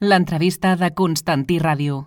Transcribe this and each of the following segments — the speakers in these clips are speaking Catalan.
L'entrevista de Constantí Ràdio.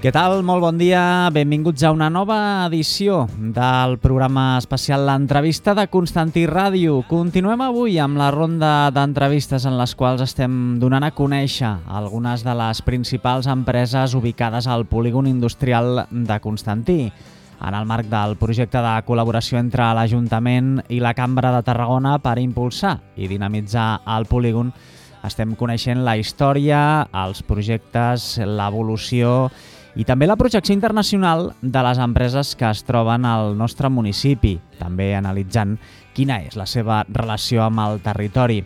Què tal? Molt bon dia. Benvinguts a una nova edició del programa especial L'entrevista de Constantí Ràdio. Continuem avui amb la ronda d'entrevistes en les quals estem donant a conèixer algunes de les principals empreses ubicades al polígon industrial de Constantí. En el marc del projecte de col·laboració entre l'Ajuntament i la Cambra de Tarragona per impulsar i dinamitzar el polígon, estem coneixent la història, els projectes, l'evolució i també la projecció internacional de les empreses que es troben al nostre municipi, també analitzant quina és la seva relació amb el territori.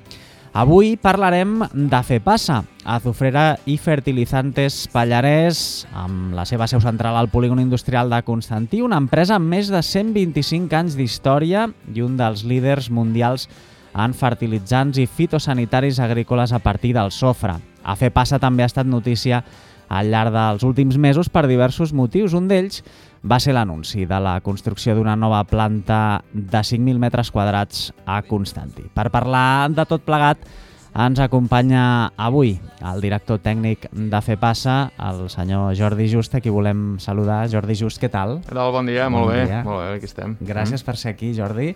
Avui parlarem de FEPASA, Azufrera i Fertilizantes Pallarès, amb la seva seu central al polígon industrial de Constantí, una empresa amb més de 125 anys d'història i un dels líders mundials en fertilitzants i fitosanitaris agrícoles a partir del sofre. A FEPASA també ha estat notícia al llarg dels últims mesos per diversos motius. Un d'ells va ser l'anunci de la construcció d'una nova planta de 5.000 metres quadrats a Constantí. Per parlar de tot plegat ens acompanya avui el director tècnic de FEPASA, el senyor Jordi Just, a qui volem saludar. Jordi Just, què tal? Què tal? Bon dia, molt bé, aquí estem. Gràcies per ser aquí, Jordi.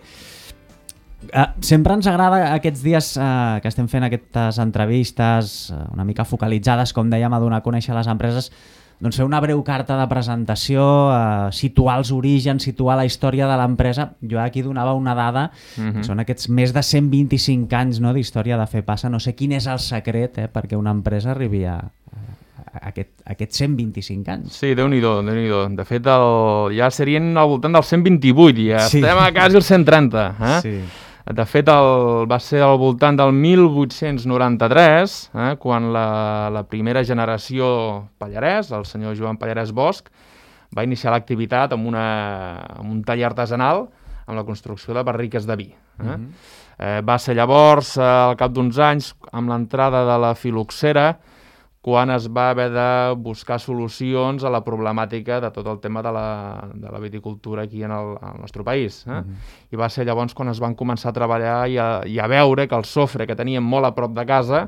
Sempre ens agrada aquests dies que estem fent aquestes entrevistes una mica focalitzades, com dèiem, a donar a conèixer les empreses, doncs fer una breu carta de presentació, situar els orígens, situar la història de l'empresa. Jo aquí donava una dada, que són aquests més de 125 anys, no, d'història de FEPASA. No sé quin és el secret perquè una empresa arribi a aquests 125 anys. Sí, Déu-n'hi-do, Déu-n'hi-do. De fet, ja serien al voltant dels 128, ja sí. Estem a quasi els 130. Sí. De fet, va ser al voltant del 1893, quan la primera generació Pallarès, el senyor Joan Pallarès Bosch, va iniciar l'activitat amb un taller artesanal amb la construcció de barriques de vi. Va ser llavors, al cap d'uns anys, amb l'entrada de la filoxera, quan es va haver de buscar solucions a la problemàtica de tot el tema de la viticultura aquí al nostre país. I va ser llavors quan es van començar a treballar i a veure que el sofre que teníem molt a prop de casa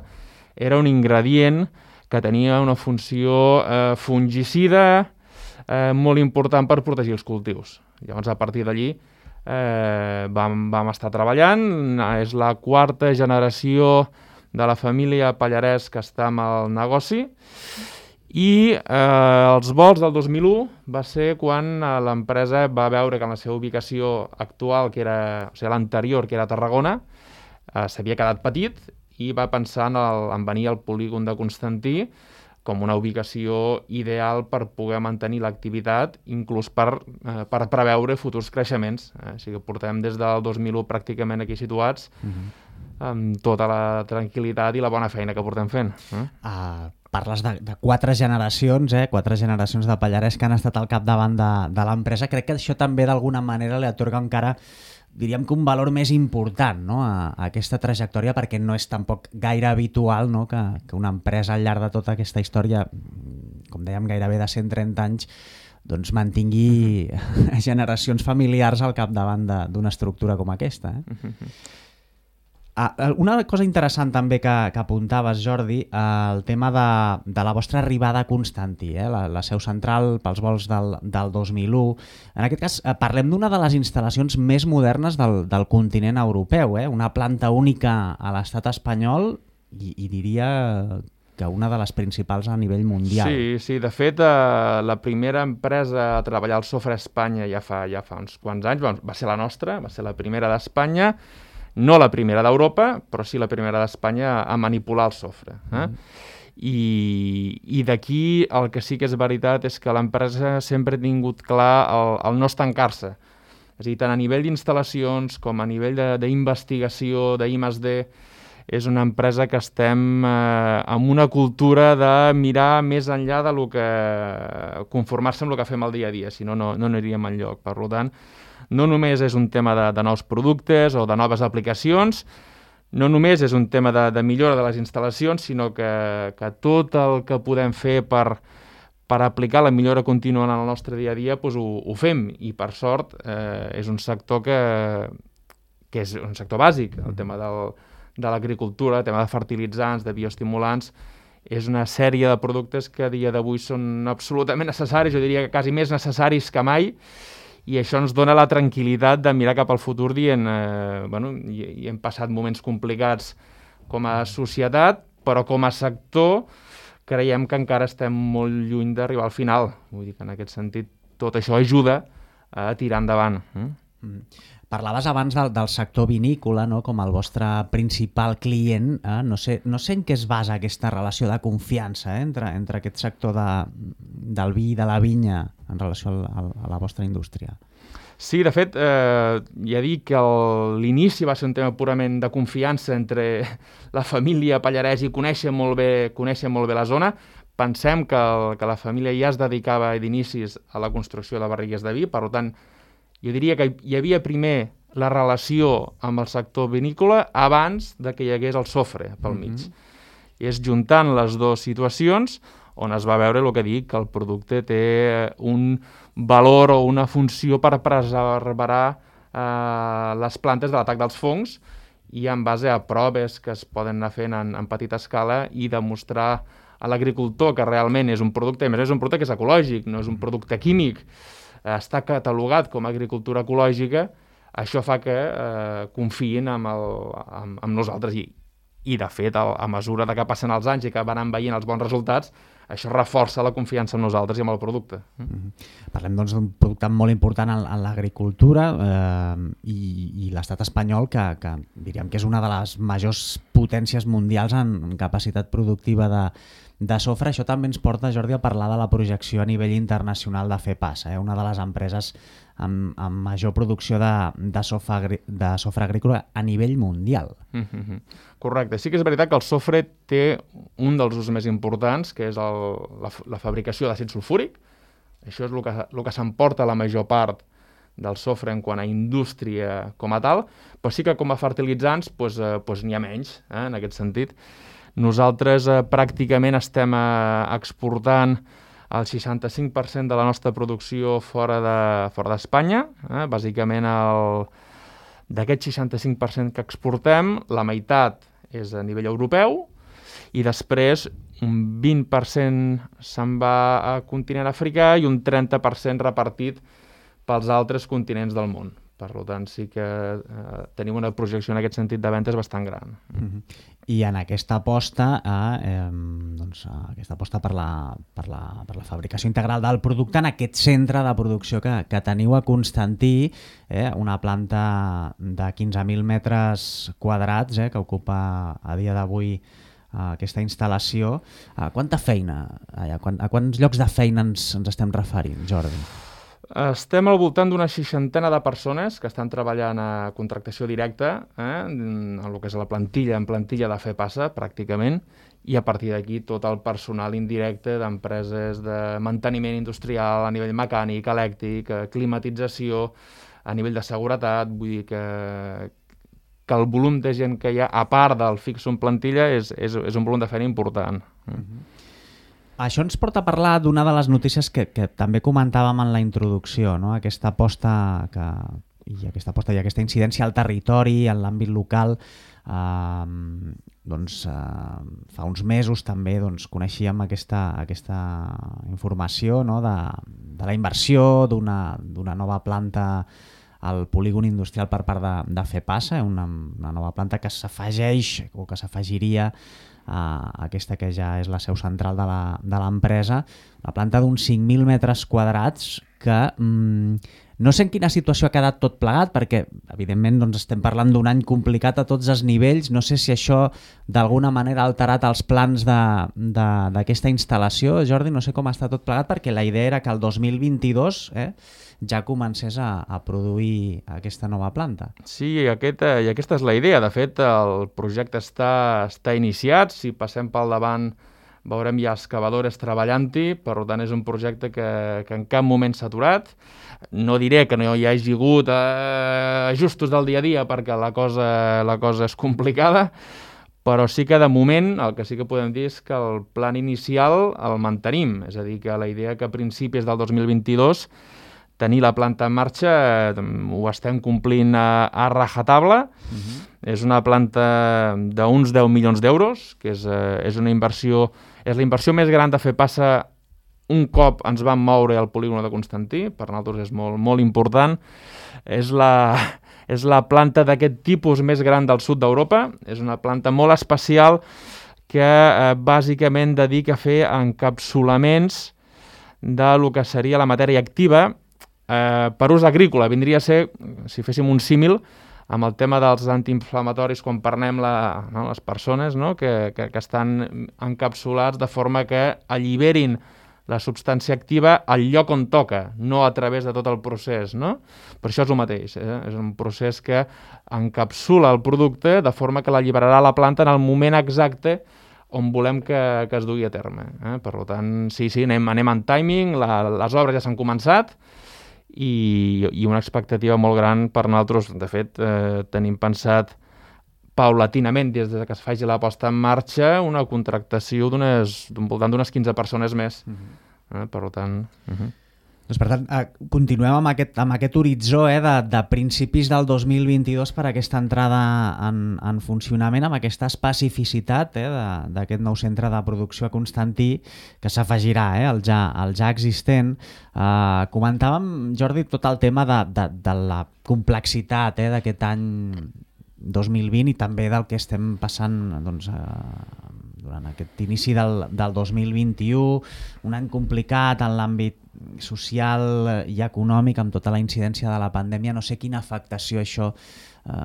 era un ingredient que tenia una funció fungicida molt important per protegir els cultius. Llavors, a partir d'allí, vam estar treballant. És la quarta generació de la família Pallarès que està amb el negoci, i els volts del 2001 va ser quan l'empresa va veure que en la seva ubicació actual, que era, o sigui, l'anterior, que era Tarragona, s'havia quedat petit i va pensar en venir al polígon de Constantí com una ubicació ideal per poder mantenir l'activitat, inclús per preveure futurs creixements. Així que portem des del 2001 pràcticament aquí situats, amb tota la tranquil·litat i la bona feina que portem fent. Parles de 4 generacions, 4 generacions de Pallarès que han estat al capdavant de l'empresa. Crec que això també d'alguna manera li atorga encara, diríem que un valor més important, no, a aquesta trajectòria, perquè no és tampoc gaire habitual, no, que una empresa al llarg de tota aquesta història, com dèiem, gairebé de 130 anys, doncs mantingui generacions familiars al capdavant d'una estructura com aquesta. Una cosa interessant també que apuntaves, Jordi, el tema de la vostra arribada a Constantí, la seu central pels vols del 2001. En aquest cas, parlem d'una de les instal·lacions més modernes del continent europeu, una planta única a l'estat espanyol i diria que una de les principals a nivell mundial. Sí, de fet, la primera empresa a treballar al sofre a Espanya ja fa uns quants anys, va ser la nostra, va ser la primera d'Espanya, no la primera d'Europa, però sí la primera d'Espanya a manipular el sofre. I d'aquí el que sí que és veritat és que l'empresa sempre ha tingut clar el no estancar-se. És a dir, tant a nivell d'instal·lacions com a nivell d'investigació, d'I+D, és una empresa que estem amb una cultura de mirar més enllà de lo que conformar-se amb el que fem el dia a dia, si no aniríem enlloc. Per tant, no només és un tema de nous productes o de noves aplicacions, no només és un tema de millora de les instal·lacions, sinó que tot el que podem fer per aplicar la millora contínua en el nostre dia a dia, doncs ho fem. I, per sort, és un sector que és un sector bàsic. El tema de l'agricultura, el tema de fertilitzants, de bioestimulants, és una sèrie de productes que a dia d'avui són absolutament necessaris, jo diria que quasi més necessaris que mai, i això ens dona la tranquil·litat de mirar cap al futur dient, i hem passat moments complicats com a societat, però com a sector creiem que encara estem molt lluny d'arribar al final. Vull dir que en aquest sentit tot això ajuda a tirar endavant. Parlaves abans del sector vinícola, no? Com el vostre principal client. No sé en què es basa aquesta relació de confiança entre aquest sector del vi i de la vinya en relació a la vostra indústria. Sí, de fet, ja dic que l'inici va ser un tema purament de confiança entre la família Pallarès i conèixer molt bé la zona. Pensem que la família ja es dedicava d'inicis a la construcció de barrigues de vi, per tant, jo diria que hi havia primer la relació amb el sector vinícola abans de que hi hagués el sofre pel mig. I és juntant les dues situacions on es va veure el que dic, que el producte té un valor o una funció per preservar les plantes de l'atac dels fongs i en base a proves que es poden anar fent en petita escala i demostrar a l'agricultor que realment és un producte, a més és un producte que és ecològic, no és un producte químic, està catalogat com a agricultura ecològica, això fa que confiïn amb nosaltres i de fet, a mesura que passen els anys i que van veient els bons resultats, això reforça la confiança en nosaltres i en el producte. Parlem doncs d'un producte molt important en l'agricultura i l'estat espanyol, que diríem que és una de les majors potències mundials en capacitat productiva de sofre. Això també ens porta, Jordi, a parlar de la projecció a nivell internacional de FEPASA, una de les empreses amb major producció de sofre agrícola a nivell mundial. Correcte. Sí que és veritat que el sofre té un dels usos més importants, que és la fabricació d'àcid sulfúric. Això és el que s'emporta la major part del sofre en quant a indústria com a tal, però sí que com a fertilitzants n'hi ha menys, en aquest sentit. Nosaltres pràcticament estem exportant el 65% de la nostra producció fora d'Espanya. Bàsicament, d'aquest 65% que exportem, la meitat és a nivell europeu i després un 20% se'n va a continent africà i un 30% repartit pels altres continents del món. Per tant, sí que tenim una projecció en aquest sentit de ventes bastant gran. I en aquesta aposta, aquesta aposta per la fabricació integral del producte en aquest centre de producció que teniu a Constantí, una planta de 15.000 metres quadrats que ocupa a dia d'avui aquesta instal·lació. Quanta feina? A quants llocs de feina ens estem referint, Jordi? Estem al voltant d'una 60 de persones que estan treballant a contractació directa, en el que és la plantilla, en plantilla de FEPASA, pràcticament, i a partir d'aquí tot el personal indirecte d'empreses de manteniment industrial a nivell mecànic, elèctric, climatització, a nivell de seguretat. Vull dir que el volum de gent que hi ha, a part del fix en plantilla, és un volum de feina important. Això ens porta a parlar d'una de les notícies que també comentàvem en la introducció, no? Aquesta aposta i aquesta incidència al territori, en l'àmbit local. Fa uns mesos també coneixíem aquesta informació, no? de la inversió d'una nova planta al polígon industrial per part de FEPASA, una nova planta que s'afegeix o que s'afegiria aquesta que ja és la seu central de l'empresa, una planta d'uns 5.000 metres quadrats que no sé en quina situació ha quedat tot plegat, perquè evidentment estem parlant d'un any complicat a tots els nivells. No sé si això d'alguna manera ha alterat els plans d'aquesta instal·lació, Jordi, no sé com està tot plegat, perquè la idea era que el 2022 ja comencés a produir aquesta nova planta. Sí, i aquesta és la idea. De fet, el projecte està iniciat. Si passem pel davant veurem ja excavadores treballant-hi, per tant és un projecte que en cap moment s'ha aturat. No diré que no hi hagi hagut ajustos del dia a dia perquè la cosa és complicada, però sí que de moment el que sí que podem dir és que el plan inicial el mantenim, és a dir, que la idea que a principis del 2022 tenir la planta en marxa ho estem complint a rajatabla. És una planta d'uns 10 milions d'euros, que és una inversió, és la inversió més gran de fer passa un cop ens vam moure al polígon de Constantí, per nosaltres és molt, molt important. És la planta d'aquest tipus més gran del sud d'Europa, és una planta molt especial que bàsicament dedica a fer encapsulaments del que seria la matèria activa per ús agrícola. Vindria a ser, si féssim un símil, amb el tema dels antiinflamatoris quan parlem les persones que estan encapsulats de forma que alliberin la substància activa al lloc on toca, no a través de tot el procés, no? Per això és el mateix, és un procés que encapsula el producte de forma que l'alliberarà la planta en el moment exacte on volem que es dugui a terme. Per tant, sí, anem en timing, les obres ja s'han començat i una expectativa molt gran per nosaltres. De fet, tenim pensat paulatinament, des que es faci la posta en marxa, una contractació voltant d'unes 15 persones més. Per tant... Doncs per tant, continuem amb aquest horitzó de principis del 2022 per aquesta entrada en funcionament, amb aquesta especificitat d'aquest nou centre de producció a Constantí, que s'afegirà al ja existent. Comentàvem, Jordi, tot el tema de la complexitat d'aquest any 2020 i també del que estem passant durant aquest inici del 2021, un any complicat en l'àmbit social i econòmic amb tota la incidència de la pandèmia. No sé quina afectació això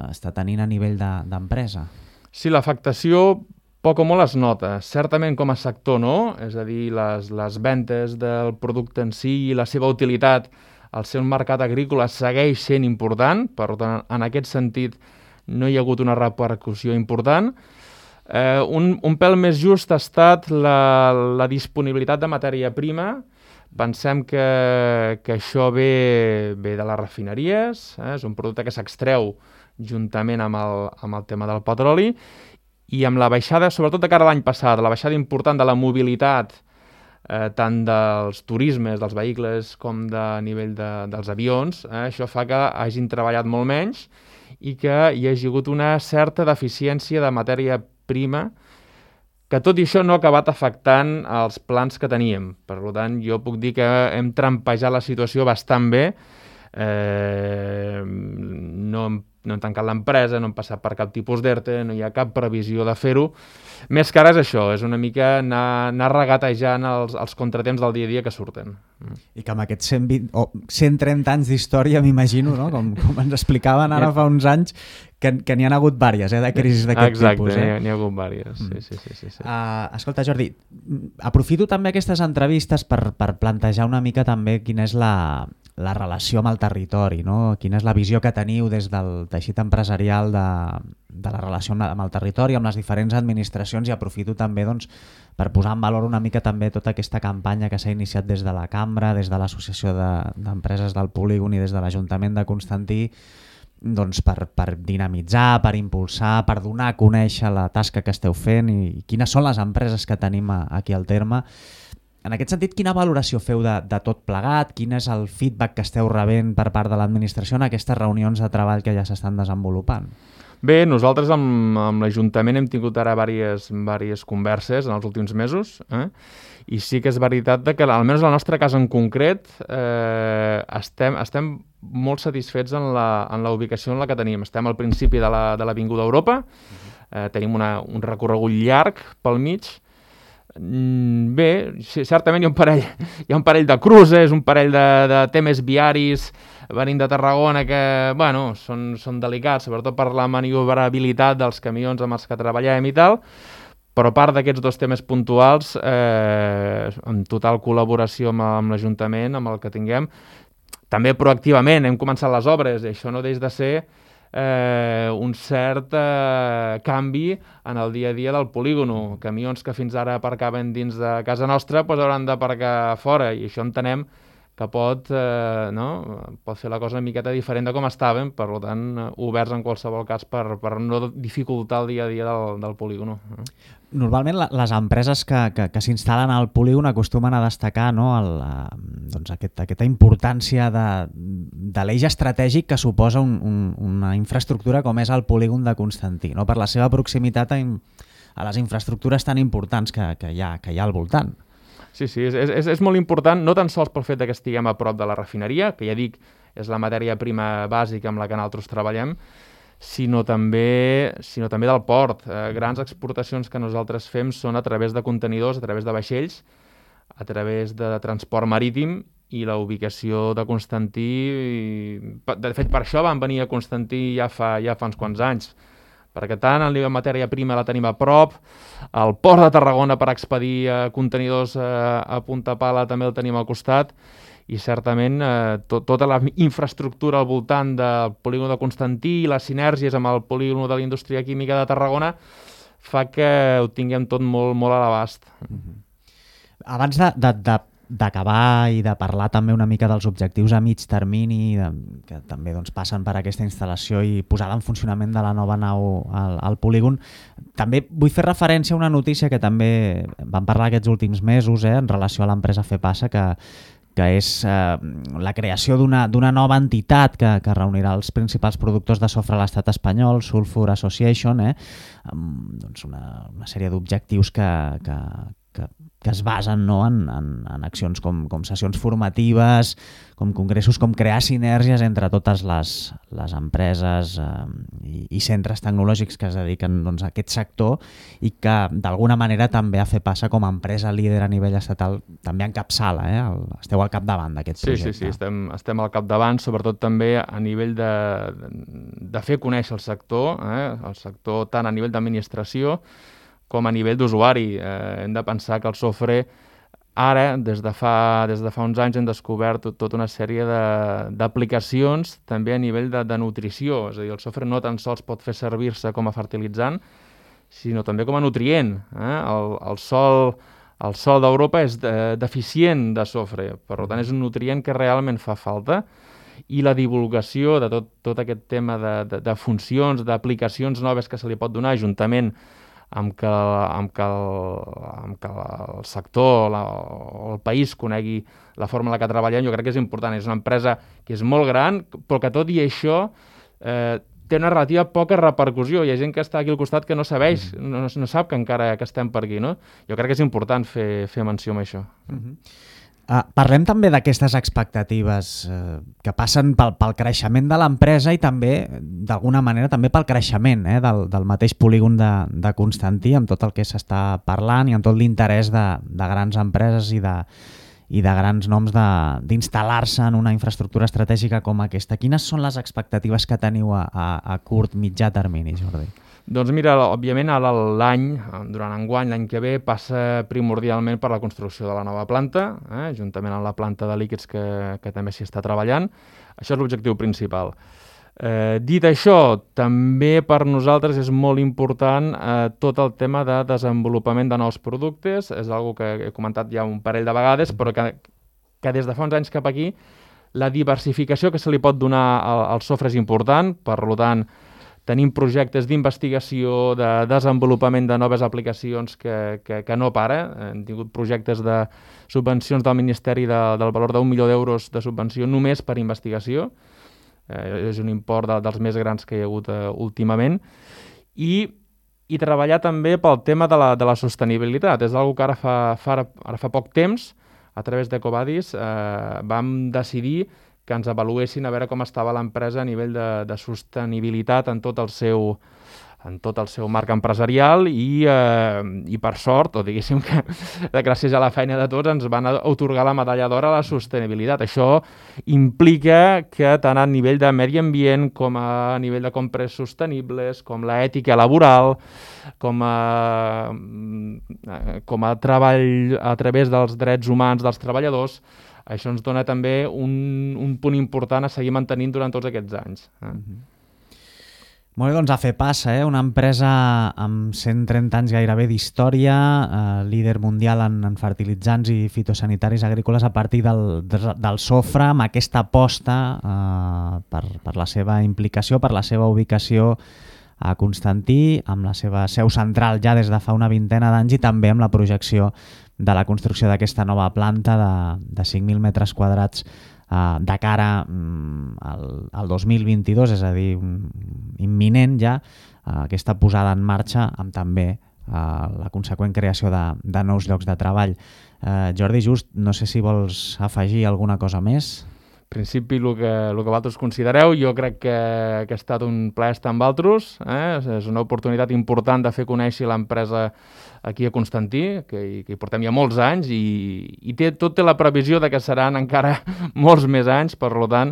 està tenint a nivell d'empresa. Sí, l'afectació poc o molt es nota. Certament com a sector no, és a dir, les ventes del producte en si i la seva utilitat al ser un mercat agrícola segueix sent important, per tant, en aquest sentit no hi ha hagut una repercussió important. Un pèl més just ha estat la disponibilitat de matèria prima. Pensem que això ve de les refineries, és un producte que s'extreu juntament amb el tema del petroli, i amb la baixada, sobretot de cara a l'any passat, la baixada important de la mobilitat, tant dels turismes, dels vehicles, com de nivell dels avions, això fa que hagin treballat molt menys i que hi hagi hagut una certa deficiència de matèria prima, que tot i això no ha acabat afectant els plans que teníem. Per tant, jo puc dir que hem trampejat la situació bastant bé. No hem tancat l'empresa, no hem passat per cap tipus d'ERTE, no hi ha cap previsió de fer-ho. Més que ara és això, és una mica anar regatejant els contratemps del dia a dia que surten. I que amb aquests 130 anys d'història, m'imagino, no? com ens explicaven ara fa uns anys, que n'hi ha hagut diverses, de crisis d'aquest tipus. Exacte, n'hi ha hagut diverses. Sí. Escolta, Jordi, aprofito també aquestes entrevistes per plantejar una mica també quina és la relació amb el territori, no? Quina és la visió que teniu des del teixit empresarial de la relació amb el territori, amb les diferents administracions, i aprofito també per posar en valor una mica també tota aquesta campanya que s'ha iniciat des de la Cambra, des de l'Associació d'Empreses del Polígon i des de l'Ajuntament de Constantí, per dinamitzar, per impulsar, per donar a conèixer la tasca que esteu fent i quines són les empreses que tenim aquí al terme. En aquest sentit, quina valoració feu de tot plegat? Quin és el feedback que esteu rebent per part de l'administració en aquestes reunions de treball que ja s'estan desenvolupant? Bé, nosaltres amb l'Ajuntament hem tingut ara diverses converses en els últims mesos, i sí que és veritat que, almenys en el nostre cas en concret, estem molt satisfets en la ubicació en la que tenim. Estem al principi de l'Avinguda Europa, tenim un recorregut llarg pel mig. Bé, certament hi ha un parell de cruces, un parell de temes viaris venint de Tarragona que, són delicats, sobretot per la maniobrabilitat dels camions amb els que treballem i tal, però a part d'aquests dos temes puntuals, en total col·laboració amb l'Ajuntament, amb el que tinguem, també proactivament hem començat les obres, i això no deixa de ser un cert canvi en el dia a dia del polígono. Camions que fins ara aparcaven dins de casa nostra hauran d'aparcar fora, i això entenem que pot fer la cosa una miqueta diferent de com estàvem, per tant, oberts en qualsevol cas per no dificultar el dia a dia del polígono. Normalment les empreses que s'instal·len al polígon acostumen a destacar aquesta importància de l'eix estratègic que suposa una infraestructura com és el polígon de Constantí, no? Per la seva proximitat a les infraestructures tan importants que hi ha al voltant. Sí, és molt important, no tan sols pel fet que estiguem a prop de la refineria, que ja dic, és la matèria prima bàsica amb la que nosaltres treballem, sinó també del port. Grans exportacions que nosaltres fem són a través de contenidors, a través de vaixells, a través de transport marítim, i la ubicació de Constantí... De fet, per això van venir a Constantí ja fa uns quants anys, perquè tant el nivell de matèria prima la tenim a prop, el port de Tarragona per expedir contenidors a Punta Pala també el tenim al costat, i certament tota la infraestructura al voltant del polígon de Constantí i les sinergies amb el polígon de la indústria química de Tarragona fa que ho tinguem tot molt, molt a l'abast. Abans d'acabar i de parlar també una mica dels objectius a mig termini que també passen per aquesta instal·lació i posada en funcionament de la nova nau al polígon, també vull fer referència a una notícia que també vam parlar aquests últims mesos en relació a l'empresa FEPASA, que és la creació d'una nova entitat que reunirà els principals productors de sofre a l'estat espanyol, Sulfur Association, amb una sèrie d'objectius que es basen en accions com sessions formatives, com congressos, com crear sinergies entre totes les empreses i centres tecnològics que es dediquen a aquest sector, i que d'alguna manera també a FEPASA com a empresa líder a nivell estatal també encapçala, esteu al capdavant d'aquest projecte. Sí, estem al capdavant, sobretot també a nivell de fer conèixer el sector tant a nivell d'administració com a nivell d'usuari. Hem de pensar que el sofre ara, des de fa uns anys, hem descobert tota una sèrie d'aplicacions també a nivell de nutrició. És a dir, el sofre no tan sols pot fer servir-se com a fertilitzant, sinó també com a nutrient. El sòl d'Europa és deficient de sofre, per tant és un nutrient que realment fa falta, i la divulgació de tot aquest tema de funcions, d'aplicacions noves que se li pot donar, juntament amb que el sector o el país conegui la forma en la que treballem, jo crec que és important. És una empresa que és molt gran, però que tot i això té una relativa poca repercussió. Hi ha gent que està aquí al costat que no sap que encara que estem per aquí, no? Jo crec que és important fer menció amb això. Parlem també d'aquestes expectatives que passen pel creixement de l'empresa i també, d'alguna manera, també pel creixement del mateix polígon de Constantí, amb tot el que s'està parlant i amb tot l'interès de grans empreses i de grans noms d'instal·lar-se en una infraestructura estratègica com aquesta. Quines són les expectatives que teniu a curt, mitjà termini, Jordi? Doncs mira, òbviament durant enguany, l'any que ve, passa primordialment per la construcció de la nova planta, juntament amb la planta de líquids que també s'hi està treballant. Això és l'objectiu principal. Dit això, també per nosaltres és molt important tot el tema de desenvolupament de nous productes. És una cosa que he comentat ja un parell de vegades, però que des de fa uns anys cap aquí la diversificació que se li pot donar al sofre és important. Per tant, tenim projectes d'investigació, de desenvolupament de noves aplicacions que no para. Hem tingut projectes de subvencions del Ministeri del valor d'1 milió d'euros de subvenció només per investigació. És un import dels més grans que hi ha hagut últimament. I treballar també pel tema de la sostenibilitat. És una cosa que ara fa poc temps, a través d'Ecovadis, vam decidir que ens avaluessin a veure com estava l'empresa a nivell de sostenibilitat en tot el seu marc empresarial, i per sort, o diguéssim que gràcies a la feina de tots, ens van atorgar la medalla d'or a la sostenibilitat. Això implica que tant a nivell de medi ambient com a nivell de compres sostenibles, com l'ètica laboral, com a treball a través dels drets humans dels treballadors, això ens dona també un punt important a seguir mantenint durant tots aquests anys. Molt bé, doncs a FEPASA, una empresa amb 130 anys gairebé d'història, líder mundial en fertilitzants i fitosanitaris agrícoles a partir del sofre, amb aquesta aposta per la seva implicació, per la seva ubicació a Constantí, amb la seva seu central ja des de fa una vintena d'anys i també amb la projecció de la construcció d'aquesta nova planta de 5.000 metres quadrats de cara al 2022, és a dir, imminent ja, aquesta posada en marxa amb també la conseqüent creació de nous llocs de treball. Jordi, just, no sé si vols afegir alguna cosa més. En principi, el que vosaltres considereu, jo crec que ha estat un plaer estar amb vosaltres. És una oportunitat important de fer conèixer l'empresa aquí a Constantí, que hi portem ja molts anys, i tot té la previsió de que seran encara molts més anys, per tant,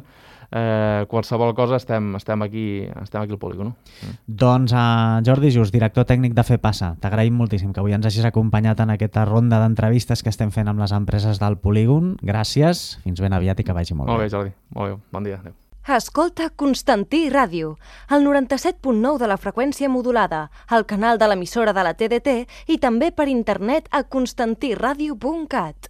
qualsevol cosa estem aquí al polígon. Doncs Jordi Just, director tècnic de FEPASA, t'agraïm moltíssim que avui ens hagis acompanyat en aquesta ronda d'entrevistes que estem fent amb les empreses del polígon. Gràcies, fins ben aviat i que vagi molt bé. Molt bé, Jordi. Molt bé, bon dia. Adéu. Escolta Constantí Ràdio, el 97.9 de la freqüència modulada, el canal de l'emissora de la TDT i també per internet a constantiradio.cat.